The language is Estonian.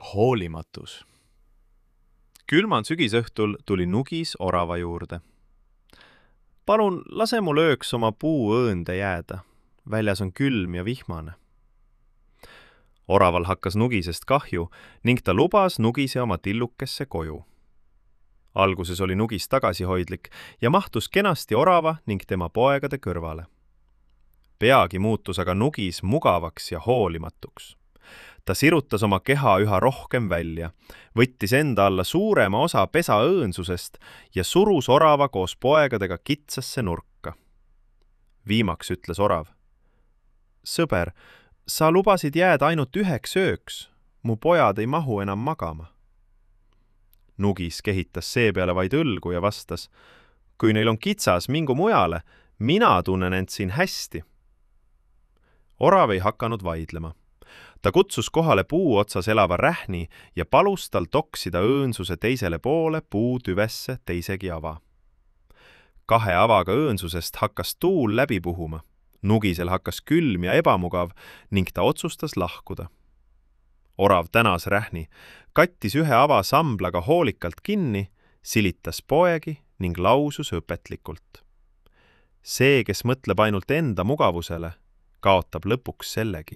Hoolimatus. Külmal sügisõhtul tuli Nugis orava juurde. Palun, lase mul ööks oma puu õõnde jääda. Väljas on külm ja vihmane. Oraval hakkas Nugisest kahju ning ta lubas Nugise oma tillukesse koju. Alguses oli Nugis tagasihoidlik ja mahtus kenasti orava ning tema poegade kõrvale. Peagi muutus aga Nugis mugavaks ja hoolimatuks. Ta sirutas oma keha üha rohkem välja, võttis enda alla suurema osa pesa õõnsusest ja surus orava koos poegadega kitsasse nurka. Viimaks ütles orav: "Sõber, sa lubasid jääda ainult üheks ööks, mu pojad ei mahu enam magama." Nugis kehitas seepeale vaid õlgu ja vastas: "Kui neil on kitsas, mingu mujale, mina tunnen end siin hästi." Orav ei hakanud vaidlema. Ta kutsus kohale puu otsas elava rähni ja palus tal toksida õõnsuse teisele poole puutüvesse teisegi ava. 2 avaga õõnsusest hakkas tuul läbi puhuma. Nugisel hakkas külm ja ebamugav ning ta otsustas lahkuda. Orav tänas rähni, kattis 1 ava samblaga hoolikalt kinni, silitas poegi ning lausus õpetlikult: "See, kes mõtleb ainult enda mugavusele, kaotab lõpuks sellegi."